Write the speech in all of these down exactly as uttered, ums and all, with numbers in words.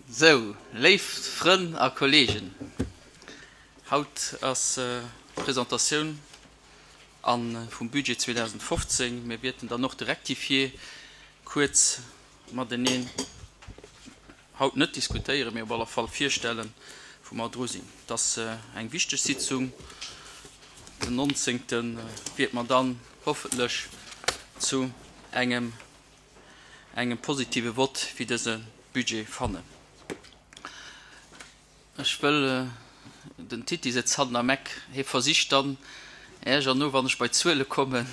Sou, léif Frënn a Kolleegen, haut ass d'Presentatioun vum Budget zweedausendfofzéng. Mir wäerten dann och de Rectifié kuerz mateneen haut net diskutéieren, mee op alle Fall virstellen, wou mer dru sinn. Et ass eng wichteg Sitzung. Den nonzéngte wäerte mer dann hoffentlech zu engem engem positive Vott fir dëse Budget fannen. Ech wëll, den Titi sëtzt hannen am Eck, hie versicht dann iergerno, wann ech bei d'Zuele kommen,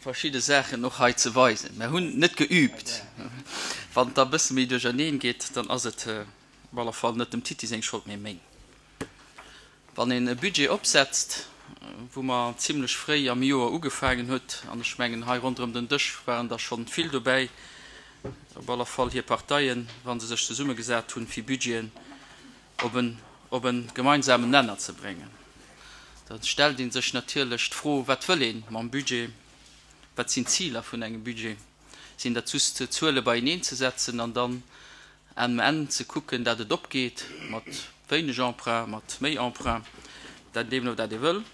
verschidde Saachen och hei ze weisen. Mer hunn net geübt. Wann et da e bësse méi duercherneen geet, dann ass et op alle Fall net dem Titi seng Schold, mee meng. Wann een e Budget opsetzt, wou mer zimlech fréi am Joer ugefaangen huet, an ech mengen hei ronderëm den Dësch waren der schonn vill dobäi, op alle Fall hir Parteien, wa se sech zesummegesat hunn, fir Budgeten op en, op e gemeinsamen Nenner ze bréngen, da stellt ee sech natierlech d'Fro, Wat wëll ee mam Budget? Wat sinn d'Ziler vun engem Budget? Sinn dat just Zuele beieneen ze setzen an dann um Enn ze kucken, dat et opgeet, mat wéineg Emprunt, mat méi Emprunt, dat deemno dat ee wëll?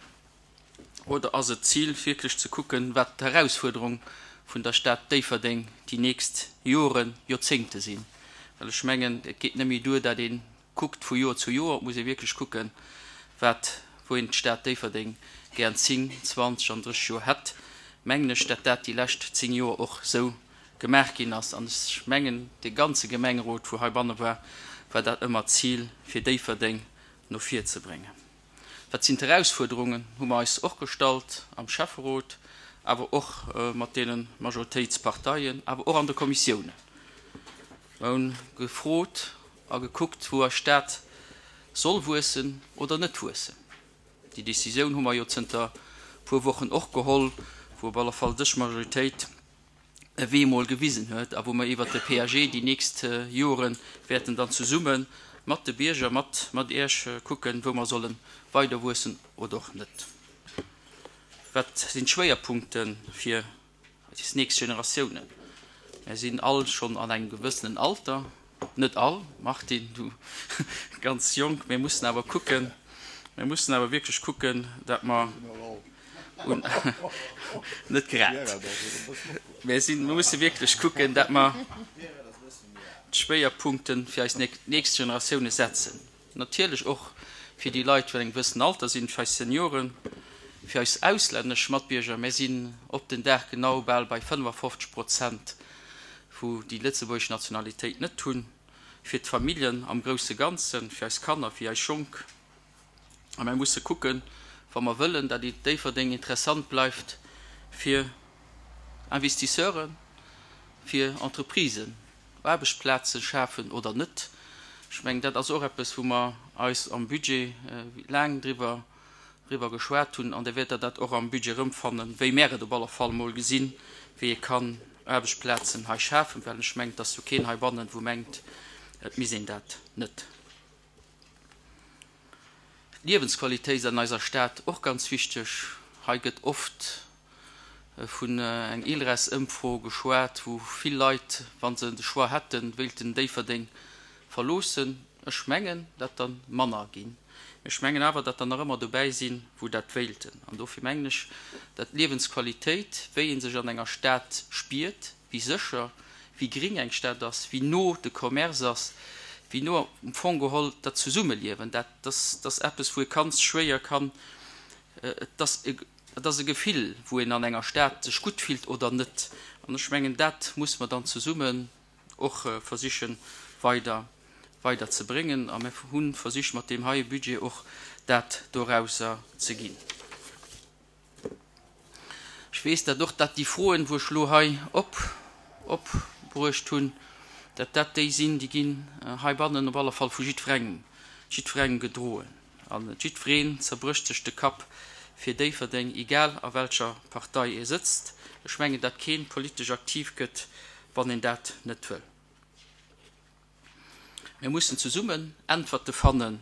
Oder ass et d'Zil, wierklech ze kucken, wat d'Herausfuerderung vun der Stad Déifferdeng déi nächst Joren, Joerzéngte sinn? Well ech mengen, et geet net méi duer, dat ee kuckt vu Joer zu Joer, et muss ee wierklech kucken, wat, wou een d'Stad Déifferdeng gär an zéng, zwanzeg an drësseg Joer hätt. Mengen ech, dat dat déi lescht zéng Joer och esou gemaach ginn ass. An ech mengen, dee ganze Gemengerot, wou heibanne war, war dat ëmmer d'Zil, fir Déifferdeng no vir ze bréngen. Wat sinn d'Erausfuerderungen, hu mer eis och gestallt am Schäfferot, awer och mat deene Majoritéitsparteien, awer och an de Kommissiounen. Mer hunn gefrot a gekuckt, wou eis Stad soll wuessen oder net wuessen. Déi Décisioun hu mer jo zënter puer Wochen och geholl, wou op alle Fall dës Majoritéit e Wee mol gewisen huet a wou mer iwwert de P A G déi nächst Jore wäerten dann zesumme mat de Bierger, mat, mat Iech kucken, wou mer solle weider wuessen oder och net. Wat sinn d'Schwéierpunkte fir eis nächst Generatiounen? Mir sinn all schonn an engem gewëssenen Alter, net all, Martine, du ganz jonk, mir mussen awer kucken, mir mussen awer wierklech kucken, dat mer un net grad, mir sinn, mir musse wierklech kucken, dat mer d'Schwéierpunkte fir eis nächst Generatioune setzen. Natierlech och fir déi Leit, déi an engem gewëssenen Alter sinn, fir eis Senioren, fir eis auslännesch Matbierger. Mir sinn op den Dag genau bal bei fënnefafofzeg Prozent, wou déi lëtzebuergesch Nationalitéit net hunn, fir d'Familljen am grousse Ganzen, fir eis Kanner, fir eis Jonk. A mir musse kucken, wa mer wëllen, datt Déifferdeng interessant bleift fir Investisseuren, fir Entreprisen, Aarbechtsplaze schafen oder net. Ech mengen, dat ass och eppes, wou mer eis am Budget laang driwwer, driwwer geschwat hunn. An da wäert Der dat och am Budget erëmfannen, wéi mär et op alle Fall mol gesinn, wéi ee kann Aarbechtsplazen hei schafen, well ech mengen, et ass jo keen heibannen, wou mengt, et misst een dat net. D'Liewensqualitéit ass an eiser Stad och ganz wichteg. Hei gëtt oft vun eng ILReS-Ëmfro geschwat, wou vill Leit, wa se de Choix hätten, wéilten Déifferdeng verloossen. Ech mengen, dat der manner ginn. Ech mengen awer, dat der nach ëmmer dobäi sinn, wou dat wéilten. An dofir mengen ech, dat d'Liewensqualitéit, wéi ee sech an enger Stad spiert, wéi sécher, wéi gring eng Stad ass, wéi no de Commerce ass, wéi no am Fong geholl dat Zesummeliewen, dat ass eppes, wou ee ganz schwéier kann, et ass e, et ass e Gefill, wou een an enger Stad sech gutt fillt oder net. An ech mengen, dat muss mer dann zesummen och versichen weider, weider ze bréngen. A mir hu versicht, mat deem heie Budget och dat dorauser ze ginn. Ech weess dat och, dat déi Froen, wou ech elo hei op, opbruecht hunn, dat dat déi sinn, déi ginn heibannen op alle Fall vu jiddwerengem, jiddwerengem gedroen. An jiddwereen zerbrécht sech de Kapp fir Déifferdeng, egal a welcher Partei ee sëtzt. Ech mengen, dat keen politesch aktiv gëtt, wann een dat net wëll. Mir mussen zesummen Äntwerte fannen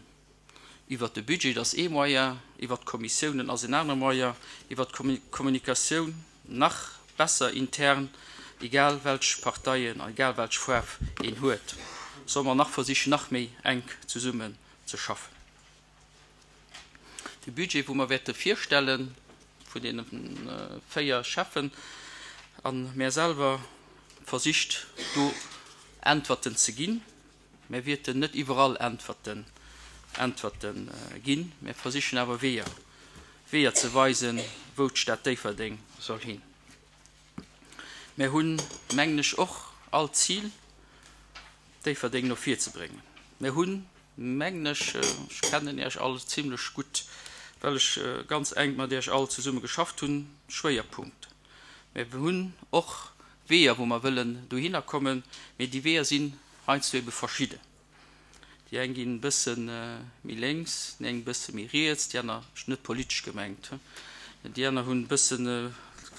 iwwer de Budget, dat ass ee Moyen, iwwer d'Kommissiounen ass en anere Moyen, iwwer d'Kommunikatioun nach besser intern, egal welch Parteien, egal welch Faarf een huet, solle mer nach versichen, nach méi enk zesummen ze schaffen. De Budget, wou mer wäerte virstellen, vun deene véier Schäffen a mär selwer, versicht do Äntwerten ze ginn. Mär wäerten net iwwerall Äntwerten, Äntwerten ginn, mär versichen awer Weeër, Weeër ze weisen, wou d'Stad Déifferdeng soll hin. Mär hunn, mengen ech, och all d'Zil, Déifferdeng no vir ze bréngen. Mär hunn, mengen ech, ech kennen Iech all zimlech gutt, well ech ganz enk mat Iech all zesumme geschafft hunn, Schwéierpunkten. Mär hunn och Weeër, wou mer wëllen dohinner kommen, mee déi Weeër sinn heiansdo ebe verschidden. Déi eng ginn e bësse méi lénks, déi eng e bësse méi riets, déi aner, net politesch gemengt, déi aner hunn e bëssen,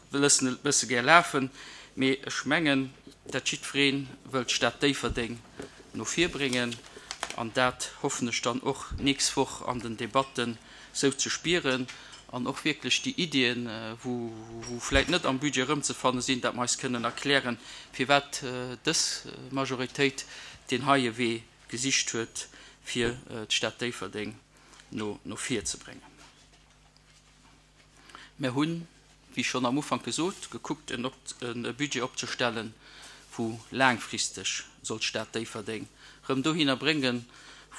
loossen et e bësse gär lafen. Mee ech mengen, dat jiddweree wëllt d'Stad Déifferdeng no vir bréngen an dat hoffen ech dann och d'nächst Woch an den Debatten esou ze spieren an och wierklech déi Iddien, wou vläicht net am Budget erëmzefanne sinn, dat mer eis kënnen erklären, firwat dës Majoritéit deen heie Wee gesicht huet, fir d'Stad Déifferdeng no no vir ze bréngen. Mer hunn, wéi schonn am Ufank gesot, gekuckt, e Budget opzestellen, wou laangfristeg soll d'Stad Déifferdeng rëm dohinner bréngen,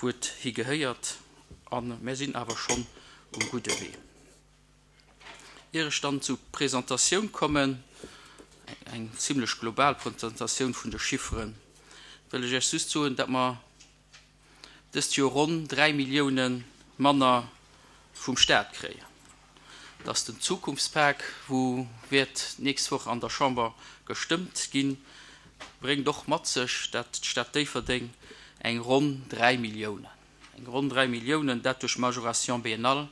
wou et higehéiert. A mer sinn awer schonn um gudde Wee. Ier ech dann zur Presentatioun kommen, eng zimlech global Presentatioun vun de Chifferen, wëll ech Iech just soen, datt mer dëst Joer ronn dräi Millioune manner vum Staat kréien, datt den Zukunftspak, wou wäert d'nächst Woch an der Chamber gestëmmt ginn, bréngt och mat sech, datt d'Stad Déifferdeng eng ronn dräi Milliounen, eng ronn dräi Milliounen, dat duerch Majoration biennale,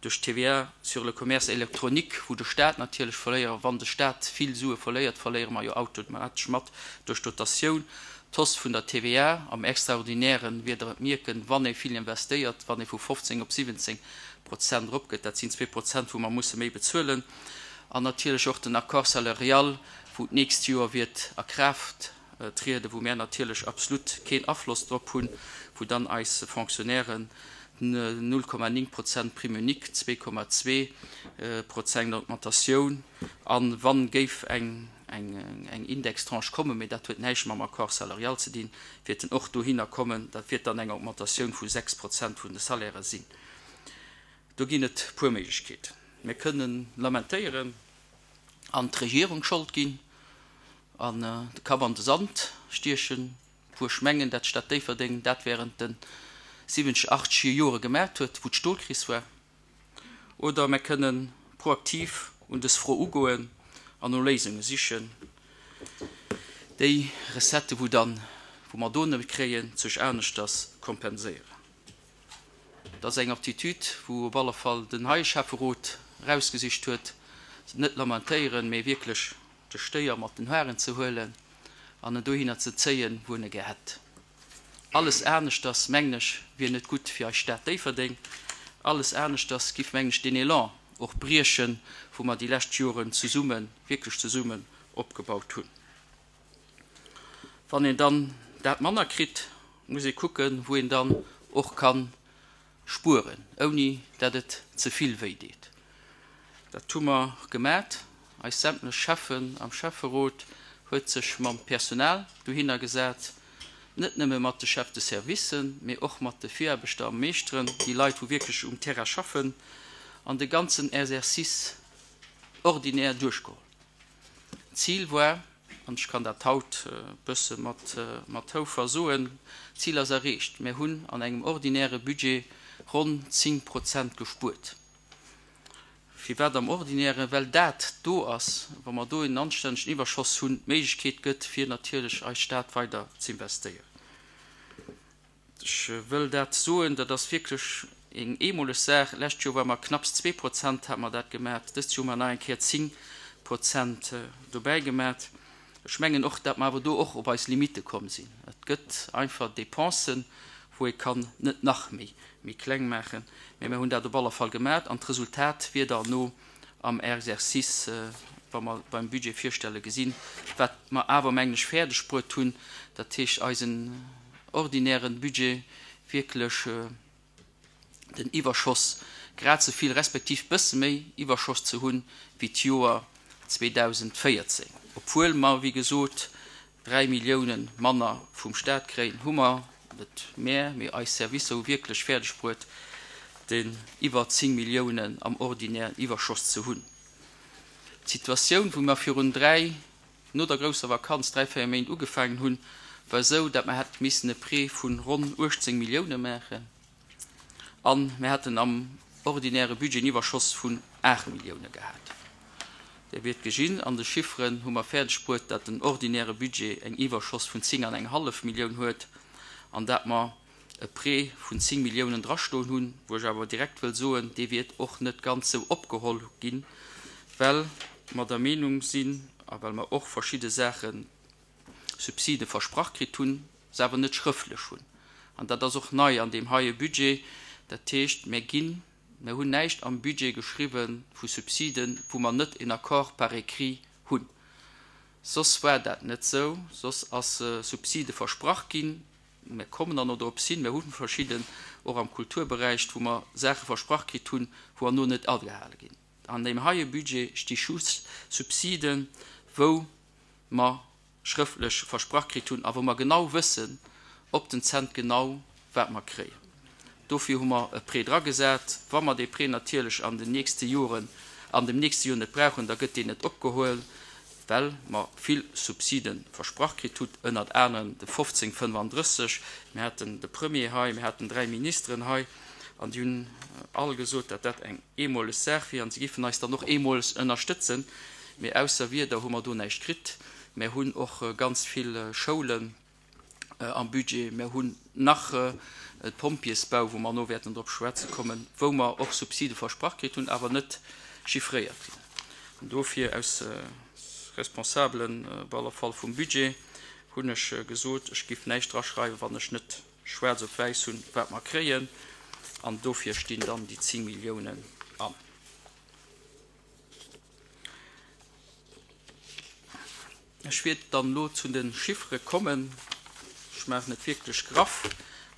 duerch d'TVA sur le commerce électronique, wou de Staat natierlech verléiert, wann de Staat vill Sue verléiert, verléiere mer jo automatesch mat duerch d'Dotatioun, d'Hausse vun der TVA am Extraordinären, wier Der et mierken, wann ee vill investéiert, wann ee vu fofzéng op siwwenzéng Prozent eropgeet, dat sinn zwee Prozent, wou mer musse méi bezuelen, an natierlech och den Accord salarial, wou d'nächst Joer wäert a Kraaft trieden, wou mär natierlech absolut keen Afloss drop hunn, wou dann eis Fonctionnairen null Komma néng Prozent Prime unique, zwee Komma zwee Prozent Augmentatioun, a wa géif eng eng Indextranche kommen, mee dat huet näischt mam Accord salarial ze dinn, wäert en och dohinner kommen, dat wäert dann eng Augmentatioun vu sechs Prozent vun de Salairë sinn. Do ginn et puer Méiglechkeeten. Mir kënnen lamentéieren an d'Regierung d'Schold ginn an de Kapp an de Sand stiechen, wou ech mengen, dat d'Stad Déifferdeng dat während de siwwenzeg, achtzeger Jore gemaacht huet, wou d'Stolkris war. Oder mir kënnen proaktiv un dës Fro ugoen an no Léisunge sichen, déi Recettë wou dann, wou mer do net kréien, sech aneschters kompenséieren. Dat ass eng Aptitude, wou op alle Fall den heie Schäfferot erausgesicht huet, net lamentéieren, mee wierklech de Stéier mat den Hoaren ze huelen an en dohinner ze zéien, wou en e gär hätt. Alles aneschters, mengen ech, wier net gutt fir eis Stad Déifferdeng. Alles aneschters giff, mengen ech, deen Elan och briechen, wou mer déi lescht Joren zesummen, wierklech zesummen opgebaut hunn. Wann een dann dat manner kritt, muss ee kucken, wou een dann och ka spueren, ouni dat et ze vill wéi deet. Dat hu mer gemat. Eis sämtlech Schäffen am Schäfferot huet sech mam Personal dohinner gesat, net nëmme mat de Chefs de servicen, mee och mat de Viraarbechter a Meeschteren, déi Leit, wou wierklech um Terrain schaffen, an de ganzen Exercice ordinaire duerchgeholl. D'Zil war, an ech kann dat haut e bësse mat mat Houfer soen, d'Zil ass erreecht, Mir hunn an engem ordinäre Budget ronn zéng Prozent gespuert. Firwat am Ordinären? Well dat do ass, wa mer do en anstännegen Iwwerschoss hunn, d'Méiglechkeet gëtt, fir natierlech eis Stad weider z'investéieren. Ech wëll dat soen, dat ass wierklech eng eemoleg Saach. D'lescht Joer ware mer knapps zwee Prozent, hate mer dat gemat. Dëst Joer hu mer nach eng Kéier zéng Prozent dobäi gemat. Ech mengen och, datt mer awer do och op eis Limitte komm sinn. Et gëtt einfach Dépensen, wou ee kann net nach méi méi kleng maachen, mä mir hunn dat op alle Fall gemat an d'Resultat wier derno am Exercice wa mer beim Budget virstelle gesinn, wat mer awer mengen ech fäerdeg bruet hunn, dat heescht eisen ordinären Budget wierklech den Iwwerschoss grad esou vill respektiv bësse méi Iwwerschoss ze hunn wéi d'Joer zweedausendvéierzéng. Obwuel mer, wéi gesot, dräi Milliounen manner vum Staat kréien, hu mer, net mär, mee eis Servicer hu wierklech fäerdeg bruet, den iwwer zéng Milliounen am ordinären Iwwerschoss ze hunn. D'Situatioun, wou mer virun dräi, no der grousser Vakanz, dräi, véier Méint ugefaangen hunn, war esou, datt mer hätte missen e Prêt vu ronn uechtzéng Millioune maachen a mir hätten am ordinäre Budget en Iwwerschoss vun aacht Millioune gehat. Dir wiert gesinn, an de Chifferen hu mer fäerdeg bruet, datt den ordinäre Budget eng Iwwerschoss vun zéng an eng hallef Millioun huet an datt mer e Prêt vun zéng Milliounen drastoen hunn, wou ech awer direkt wëll soen, dee wiert och net ganz esou opgeholl ginn, well mer der Meenung sinn a well mer och verschidde Saache Subside versprach kritt hunn, se awer net schrëftlech hunn. An dat ass och nei an deem heie Budget. Dat heescht, mir ginn, mir hunn näischt am Budget geschriwwe vu Subsiden, wou mer net en Accord par écrit hunn. Soss war dat net esou. Soss ass Subside versprach ginn. Mir kommen dann och dorops hin, mir hu verschidden, och am Kulturberäich, wou mer Saache versprach kritt hunn, wou herno net agehale ginn. An deem heie Budget sti just Subsiden, wou mer schrëftlech versprach kritt hunn a wou mer genau wëssen, op den Cent genau, wat mer kréien. Dofir hu mer e Prêt dragesat. Wa mer dee Prêt natierlech an den nächste Joren, an dem nächste Joer net brauchen, da gëtt deen net opgehuel, well mer vill Subside versprach kritt hunn, ënnert anerem de fofzéng fënnefandrësseg. Mir haten de Premier hei, mir haten dräi Ministeren hei an déi hunn all gesot, datt dat eng eemoleg Saach wier an se géifen eis dann och eemoleg ënnerstëtzen. Mee ausser Wierder hu mer do näischt kritt. Mir hunn och ganz vill Schoulen am Budget. Mir hunn nach e Pompjeesbau, wou mer elo wäerten drop schwätze kommen, wou mer och Subside versprach kritt hunn, awer net chiffréiert ginn. An dofir, aus Responsabelen op alle Fall vum Budget, hunn ech gesot, ech géif näischt draschreiwen, wann ech net schwaarz op wäiss hunn, wat mer kréien. An dofir stinn dann déi zéng Milliounen an. Ech wäert dann elo zu de Chiffere kommen. Ech maachen et wierklech graff.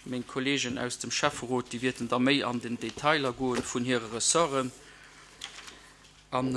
Meng Kolleegen aus dem Schäfferot, déi wäerten da méi an den Detailer goen vun hire Ressorten. An